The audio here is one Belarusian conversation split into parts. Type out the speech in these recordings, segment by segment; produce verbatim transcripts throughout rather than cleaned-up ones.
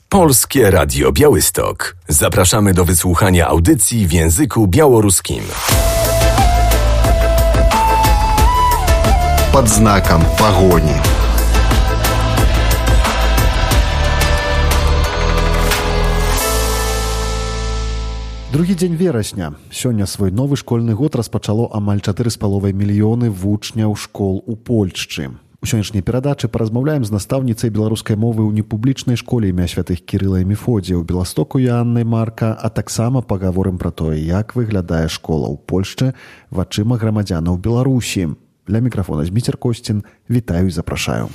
Polskie Radio Białystok. Zapraszamy do wysłuchania audycji w języku białoruskim. Pod znakiem pogoni. Другі дзень верасня. Сёння свой новы школьны год распачало амаль чатыры з паловай мільёны вучняў школ у Польшчы. У сённяшняй перадачы паразмаўляем з настаўніцай беларускай мовы ў непублічнай школе імя святых Кірыла і Мефодія ў Беластоку Аннай Марка, а таксама пагаворым пра тое, як выглядае школа ў Польшчы вачыма грамадзянаў Беларусі. Для мікрафона Зміцер Косцін. Вітаю і запрашаю.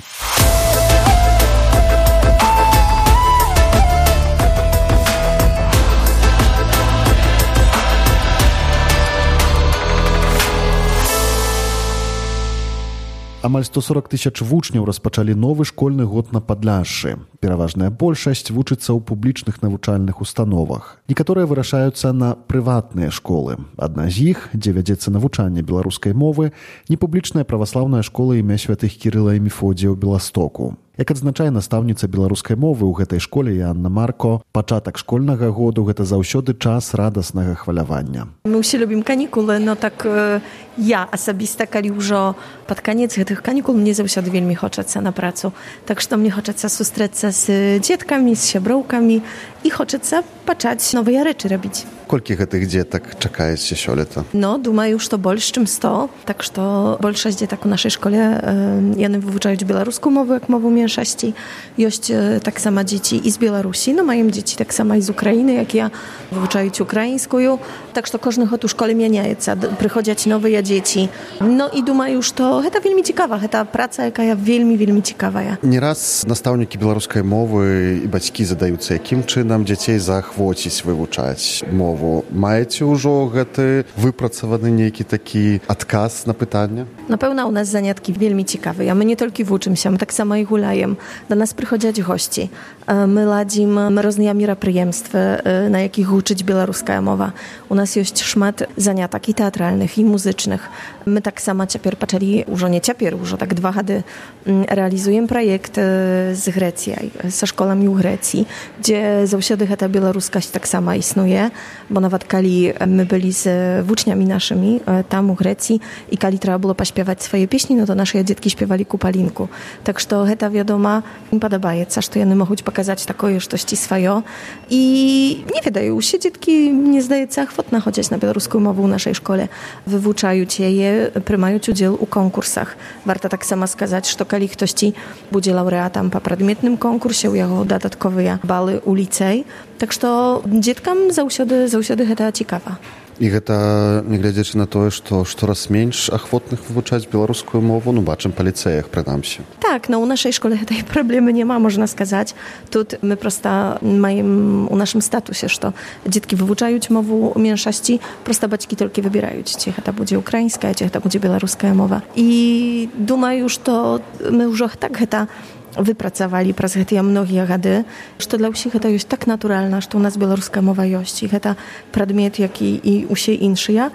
Амаль сто сорок тысяч вучняў распачалі новы школьны год на Падляшшы. Пераважная большасць вучыцца ў публічных навучальных установах. Некаторыя вырашаюцца на прыватныя школы. Адна з іх, дзе вядзецца навучанне беларускай мовы, непублічная праваслаўная школа імя святых Кірыла і Мефодія ў Беластоку. Як адзначае настаўніца беларускай мовы ў гэтай школе Анна Марко, пачатак школьнага году – гэта заўсёды час радаснага хвалявання. My ўсе любім канікулы, но так э, я асабіста, калі ўжо пад канец гэтых канікул, мне заўсёды вельмі хочацца на працу. Так што мне хочацца сустрэцца з дзеткамі, з сяброўкамі і хочацца пачаць новыя рэчы рабіць. Колькі гэтых дзетак чакаеце сёлета? No, думаю, што больш, чым сто. Так што большасць дзетак у нашай школе, э, яны вывучаюць беларускую мову як мову меншасці. Ёсць э, таксама дзеці і з Беларусі, no маем дзеці таксама і з Украіны, як я, вывучаюць украінскую. Так што кожны год у школе мяняецца, прыходзяць новыя дзеці. No і думаю, што гэта вельмі цікава, гэта праца, якая вельмі, вельмі цікавая. Не раз настаўнікі беларускай мовы і бацькі задаюцца, якім чынам дзяцей заахвоціць вывучаць мову. Маеце ўжо гэты выпрацаваны нейкі такі адказ на пытанне? Напэўна, у нас заняткі вельмі цікавыя. Мы не толькі вучымся, мы таксама і гуляем. Да нас прыходзяць госці. Мы ладзім розныя мерапрыемствы, на якіх вучыць беларуская мова. У нас ёсць шмат занятак і тэатральных, і музычных. Мы таксама цяпер пачалі, ўжо не цяпер, ўжо так два гады рэалізуем праект з Грэцыяй, са школамі ў Грэцыі, дзе заўсёды гэта беларускасць таксама існуе. Bo nawet kali my byli z włóczniami naszymi tam u Grecji i kali trzeba było pośpiewać swoje pieśni, no to nasze dzieci śpiewali Kupalinku. Tak, że to wiadoma im podobaje, co że one mogą pokazać takoje sztości swoje i nie wydają się, dzieci nie zdaje się chwotna chodzić na białoruską mowę w naszej szkole. Wywuczają je, prymają udział u konkursach. Warto tak samo skazać, że kali ktoś ci będzie laureatem po przedmiotnym konkursie, u jego dodatkowe bały u licej. Tak, że dzietkam zausiody, zausiody гэта цікава. І гэта, нягледзячы на тое, што штораз менш ахвотных вывучаць беларускую мову, ну, бачым па ліцэях, прынамсі. Tak, no u naszej szkole tej problemy nie ma, można сказать. Тут my prosta mają u naszym statusie, że dzieci wywuczają mowę mniejszości, prosta baćki tylko wybierają, czy to będzie ukraińska, czy to będzie białoruska mowa. I думаю, że my już tak гэта wypracowali przez te mnogie gady, że dla wszystkich to jest tak naturalne, że u nas białoruska mowa jest i to przedmiot, jak i u siebie inszych,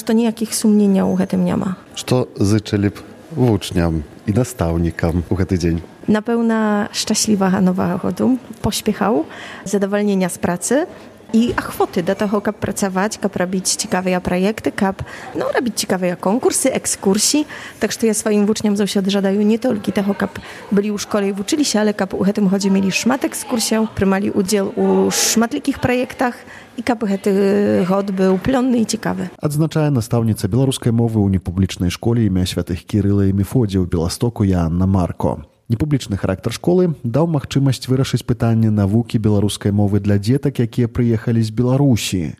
że nijakich sumienia u tym nie ma. Co życzyli uczniom i nastawnikom u ten dzień? Na pełna szczęśliwa nowego roku, pośpiechał, zadowolenia z pracy i achwoty do tego, jak pracować, jak robić ciekawe projekty, jak no, robić ciekawe konkursy, ekskursji. Tak, że ja swoim uczniom zawsze żadaję nie tylko tego, jak byli u szkole i uczyli się, ale jak u tym chodzie mieli szmat ekskursji, prymali udział u szmatlikich projektach i jak ten gод był plonny i ciekawy. Адзначае настаўніца беларускай мовы ў непублічнай школе імя святых Кірыла і Мефодія ў Беластоку Анна Марко. Непублічны характар школы даў магчымасць вырашыць пытанне навукі беларускай мовы для дзетак, якія прыехалі з Беларусі.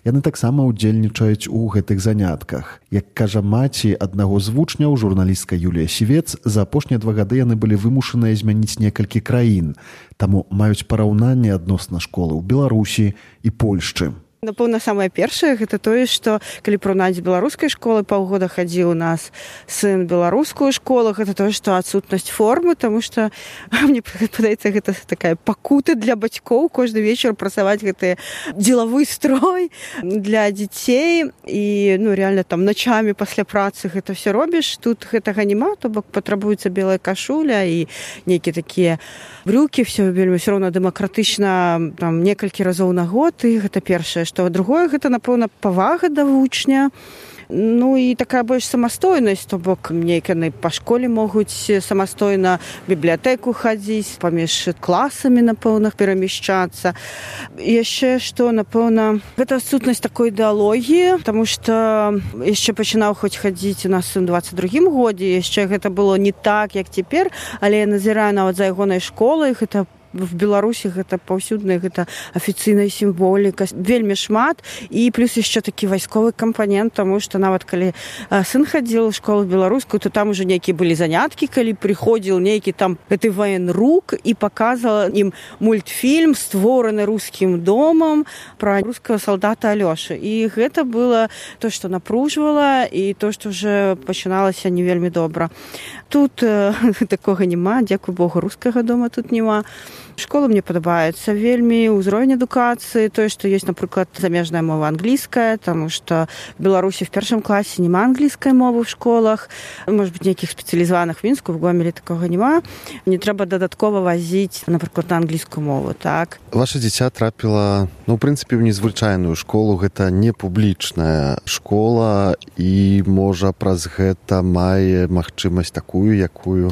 Яны таксама ўдзельнічаюць у гэтых занятках. Як кажа маці аднаго з вучняў, журналістка Юлія Сівец, за апошнія два гады яны былі вымушаныя змяніць некалькі краін, таму маюць параўнанне адносна школы ў Беларусі і Польшчы. Напэўна, самае першае гэта тое, што калі параўнаць з беларускай школы, паўгода хадзіў у нас сын беларускую школу, гэта тое, што адсутнасць формы, таму што мне падаецца, гэта такая пакута для бацькоў кожны вечар прасаваць гэты дзелавы строй для дзяцей і ну реально там начамі пасля працы гэта все робіш. Тут гэтага няма, то бок патрабуецца белая кашуля і нейкія такія брюкі, все вельмі все роўна дэмакратычна, там некалькі разоў на год, і гэта першае. Што другое, гэта, напэўна, павага да вучня. Ну і такая больш самастойнасць, то бок нейканы па школе могуць самастойна бібліятэку хадзіць, паміж класамі, напэўна, перамяшчацца. Яшчэ што, напэўна, гэта адсутнасць такой ідэалогіі, таму што яшчэ пачынаў хоць хадзіць у нас у дваццаць другім годзе, яшчэ гэта было не так, як цяпер, але я назіраю нават за ягонай школай, гэта в Беларусі гэта паўсюдная, гэта афіцыйная сімволіка, вельмі шмат, і плюс яшчэ такі вайсковы кампанент, таму што нават калі сын хадзіў у школу беларускую, то там уже нейкія былі заняткі, калі прыходзіў нейкі там гэты ваенрук і паказала ім мультфільм, створаны рускім домам пра рускага салдата Алёшы. І гэта было то, што напружвала, і то, што уже пачыналася не вельмі добра. Тут э, такога няма, дзякуй Богу, рускага дома тут няма. Школа мне падабаецца вельмі, ўзровень адукацыі, тое, што ёсць, напрыклад, замежная мова англійская, таму што в Беларусі в першым класе няма англійскай мовы в школах, можа быць, нейкіх спецыялізаваных в Мінску, в Гомелі такога няма. Не трэба дадаткова вазіць, напрыклад, на англійскую мову, так. Ваша дзіця трапіла, ну, ў прынцыпе, ў незвычайную школу, гэта не публічная школа, і, можа, праз гэта мае магчымасць такую, якую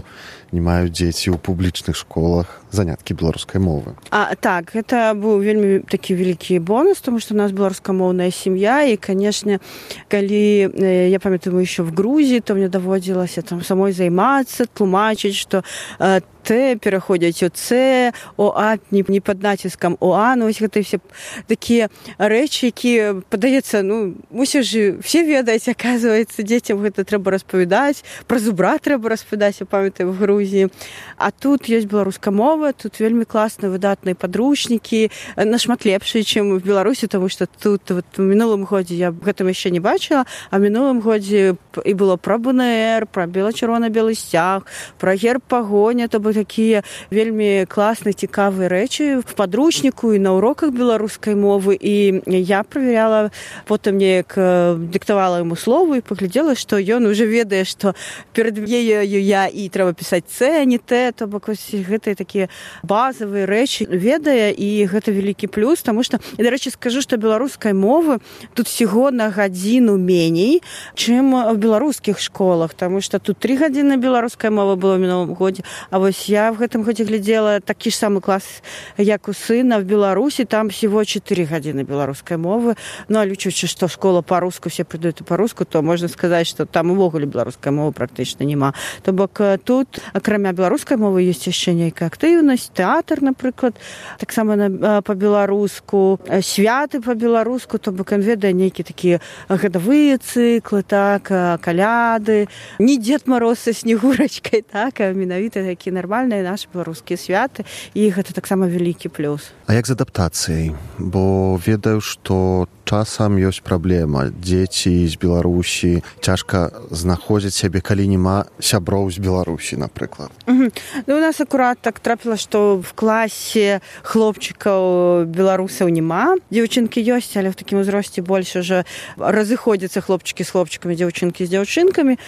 не маюць дзеці ў публічных школах, заняткі беларускай мовы. А, так, гэта быў вельмі такі вялікі бонус, тому што у нас беларускамоўная сям'я, і, канешне, калі, я памятаю, мы еще в Грузіі, то мне даводзілася там самой займацца, тлумачыць, што э, Т пераходзяць у Ц, о А не, не пад націскам о А, ну, вось гэта все такія рэчы, якія, падаецца, ну, мусіш же все ведаць, аказваецца, дзецям гэта трэба распавядаць, пра зубра трэба распавядаць, я памятаю, в Грузіі. А тут ёсць беларуская мова, тут вельмі класныя выдатныя падручнікі, нашмат лепшыя, чым в Беларусі, таму што тут вот, у мінулым годзе я гэтым яшчэ не бачыла, а в мінулым годзе і было пра Б Н Р, пра бела-чырвона-белы сцяг, пра герб пагоня, то бок такія вельмі класныя, цікавыя рэчы в падручніку і на уроках беларускай мовы. І я праверяла, потым неяк дыктавала яму словы і паглядзела, што ён уже ведае, што перад ею я і трэба пісаць Ц, а не Т, то бок гэтыя такія базавыя рэчы ведае, і гэта вялікі плюс, таму што, і, дарэчы, скажу, што беларускай мовы тут всего на гадзіну меней, чым в беларускіх школах, таму што тут тры гадзіны беларускай мовы было в мінулым годзе, а вось я в гэтым годзе глядзела такі ж самы клас, як у сына в Беларусі, там всего чатыры гадзіны беларускай мовы, ну, а лічучы, што школа па-руску, все прыдуць па-руску, то можна сказаць, што там увогуле беларускай мовы практычна няма. То бок тут, акрамя беларускай мовы, ёсць яшчэ нейкая актыўнасць, тэатр, напрыклад, таксама па-беларуску, святы па-беларуску, то бок ён ведае нейкія такія гадавыя цыклы, так, каляды, не Дед Мороз са снегурачкай, так, а менавіта такі нармальныя нашы беларускія святы, і гэта таксама вялікі плюс. А як з адаптацыяй? Бо ведаю, што часам ёсць праблема. Дзеці з Беларусі цяжка знаходзіць сябе, калі няма сяброў з Беларусі, напрыклад. Угу. Ну, у нас акурат так трапіла, што в класе хлопчыкаў беларусаў няма. Дзяўчынкі ёсць, але в такім узросце больш уже разыходзяцца хлопчыкі з хлопчыкамі, дзяўчынкі з дзяўчынкамі.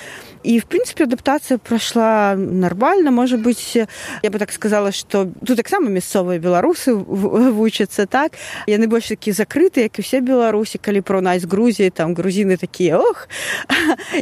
І, в прынцыпе, адаптацыя прайшла нармальна. Можа быць, я бы так сказала, што тут таксама мясцовыя беларусы вучацца, так? Яны больш такі закрытыя, як і ўсе беларусі, калі параўнаць з Грузіяй, там грузіны такія, ох,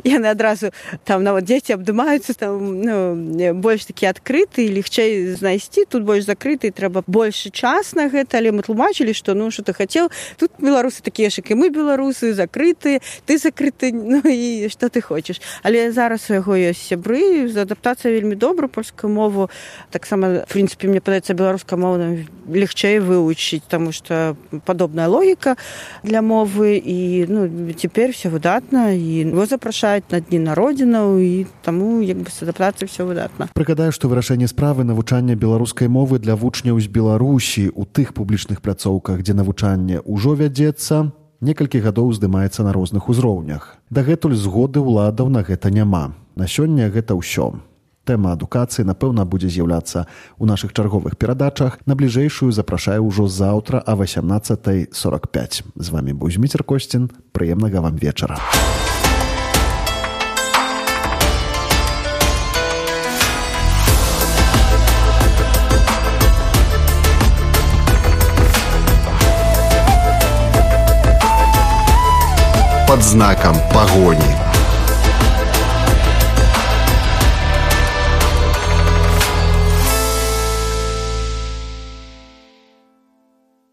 яны адразу, там нават дзеці абдымаюцца, там, ну, больш такі адкрыты, легчэй знайсці, тут больш закрыты, трэба большы час на гэта, але мы тлумачылі, што, ну, што ты хацеў, тут беларусы такія ж, як і мы беларусы, закрытыя, ты закрыты, ну, і што ты хочаш. Але зараз у яго ёсць сябры, адаптацыя вельмі добра, польскую мову таксама, в прынцыпе, мне падаецца, беларускую мову легчэй вывучыць, таму што падобная логіка для для мовы, і ну, цяпер все выдатна, і его запрашаюць на дні народзінаў, і таму як бы з адаптацыяй все выдатна. Прыгадаю, што вырашэнне справы навучання беларускай мовы для вучняў з Беларусі ў тых публічных пляцоўках, дзе навучанне ўжо вядзецца, некалькі гадоў здымаецца на розных узроўнях. Дагэтуль згоды ўладаў на гэта няма. На сёння гэта ўсё. Тэма адукацыі, напэўна, будзе з'яўляцца ў нашых чарговых перадачах. На бліжэйшую запрашаю ўжо заўтра а васямнаццатая сорак пяць. З вамі быў Зміцер Косцін. Прыемнага вам вечара. Под знаком погони.